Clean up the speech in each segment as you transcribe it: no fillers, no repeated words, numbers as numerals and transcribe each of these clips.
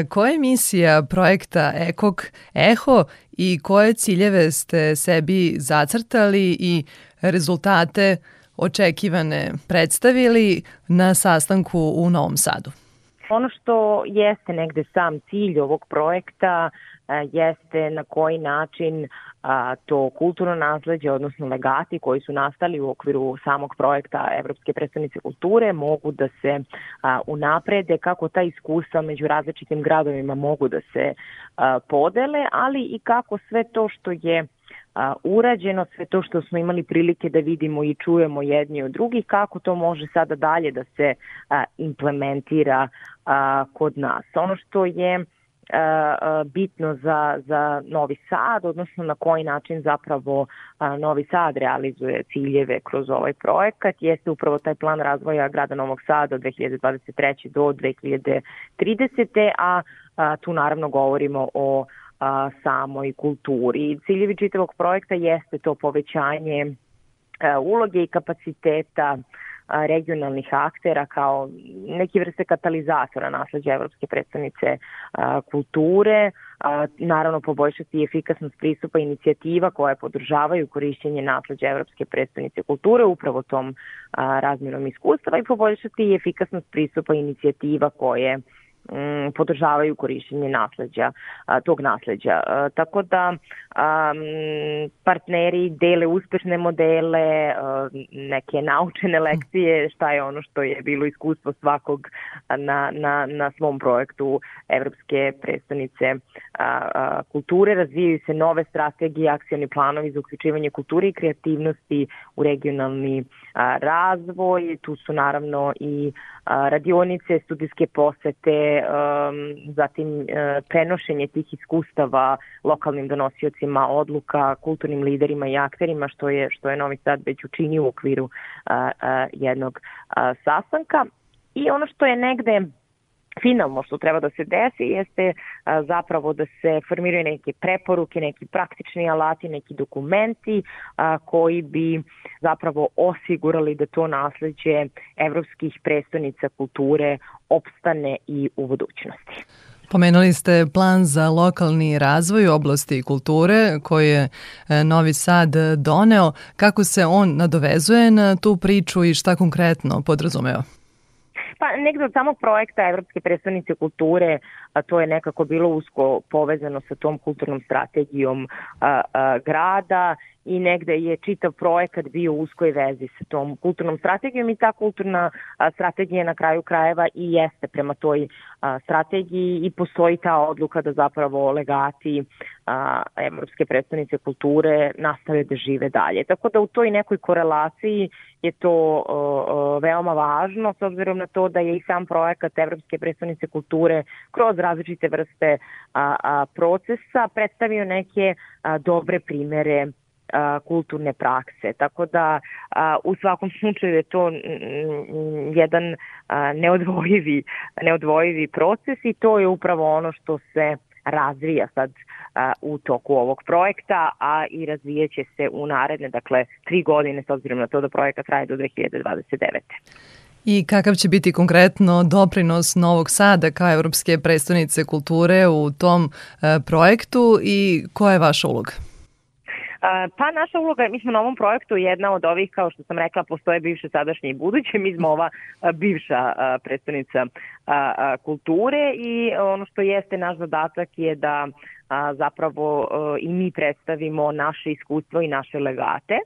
Koja je misija projekta EKOK Eho i koje ciljeve ste sebi zacrtali i rezultate očekivane predstavili na sastanku u Novom Sadu? Ono što jeste negde sam cilj ovog projekta jeste na koji način to kulturno nasleđe, odnosno legati koji su nastali u okviru samog projekta Evropske prestonice kulture mogu da se unaprede, kako ta iskustva među različitim gradovima mogu da se podele, ali i kako sve to što je urađeno, sve to što smo imali prilike da vidimo i čujemo jedni od drugih, kako to može sada dalje da se implementira kod nas. Ono što je bitno za Novi Sad, odnosno na koji način zapravo Novi Sad realizuje ciljeve kroz ovaj projekat, jeste upravo taj plan razvoja grada Novog Sada od 2023. do 2030. A tu naravno govorimo o samoj kulturi. Ciljevi čitavog projekta jeste to povećanje uloge i kapaciteta regionalnih aktera kao neke vrste katalizatora nasleđa Evropske prestonice kulture, naravno poboljšati efikasnost pristupa inicijativa koje podržavaju korišćenje nasleđa Evropske prestonice kulture upravo tom razmjenom iskustva i poboljšati efikasnost pristupa inicijativa koje podržavaju korišćenje nasleđa, tog nasleđa. Tako da partneri dele uspešne modele, neke naučene lekcije, šta je ono što je bilo iskustvo svakog na svom projektu Evropske prestonice kulture. Razvijaju se nove strategije, akcioni planovi za uključivanje kulture i kreativnosti u regionalni razvoj. Tu su naravno i radionice, studijske posete, zatim prenošenje tih iskustava lokalnim donosiocima odluka, kulturnim liderima i akterima, što je Novi Sad već učinio u okviru jednog sastanka. I ono što je negde finalno što treba da se desi jeste zapravo da se formiraju neke preporuke, neki praktični alati, neki dokumenti koji bi zapravo osigurali da to nasleđe evropskih prestonica kulture opstane i u budućnosti. Pomenuli ste plan za lokalni razvoj u oblasti kulture koji je Novi Sad doneo. Kako se on nadovezuje na tu priču i šta konkretno podrazumeva? Pa negde od samog projekta Evropske prestonice kulture, a to je nekako bilo usko povezano sa tom kulturnom strategijom grada i negde je čitav projekat bio u uskoj vezi sa tom kulturnom strategijom i ta kulturna strategija na kraju krajeva i jeste prema toj strategiji i postoji ta odluka da zapravo legati Evropske prestonice kulture nastave da žive dalje. Tako da u toj nekoj korelaciji je to veoma važno s obzirom na to da je i sam projekat Evropske prestonice kulture kroz različite vrste procesa predstavio neke dobre primere kulturne prakse. Tako da u svakom slučaju je to jedan neodvojivi proces i to je upravo ono što se razvija sad u toku ovog projekta, a i razvijeće se u naredne, 3 godine s obzirom na to da projekat traje do 2029. I kakav će biti konkretno doprinos Novog Sada kao Evropske prestonice kulture u tom projektu i koja je vaša uloga? Pa naša uloga, mi smo na ovom projektu jedna od ovih, kao što sam rekla, postoje bivše, sadašnje i buduće, mi smo ova bivša predstavnica kulture i ono što jeste naš zadatak je da zapravo i mi predstavimo naše iskustvo i naše legate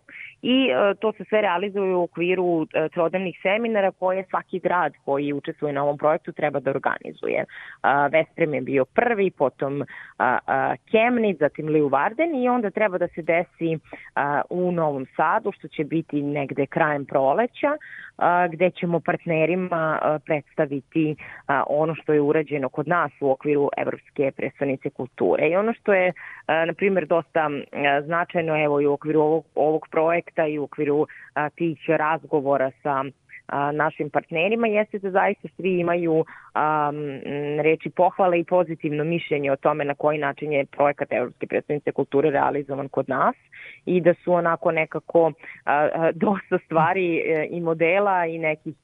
i to se sve realizuje u okviru trodnevnih seminara koje svaki grad koji učestvuje na ovom projektu treba da organizuje. Vesprem je bio prvi, potom Kemnic, zatim Leeuwarden i onda treba da se desi u Novom Sadu, što će biti negde krajem proleća, gde ćemo partnerima predstaviti ono što je urađeno kod nas u okviru Evropske prestonice kulture. I ono što je, na primjer, dosta značajno evo i u okviru ovog projekta i u okviru tih razgovora sa našim partnerima jeste da zaista svi imaju reči pohvale i pozitivno mišljenje o tome na koji način je projekat Evropske prestonice kulture realizovan kod nas i da su onako nekako dosta stvari i modela i nekih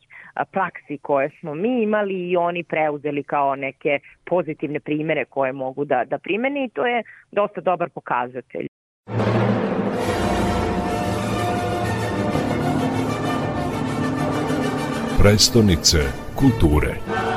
praksi koje smo mi imali i oni preuzeli kao neke pozitivne primere koje mogu da primeni i to je dosta dobar pokazatelj. Prestonice kulture.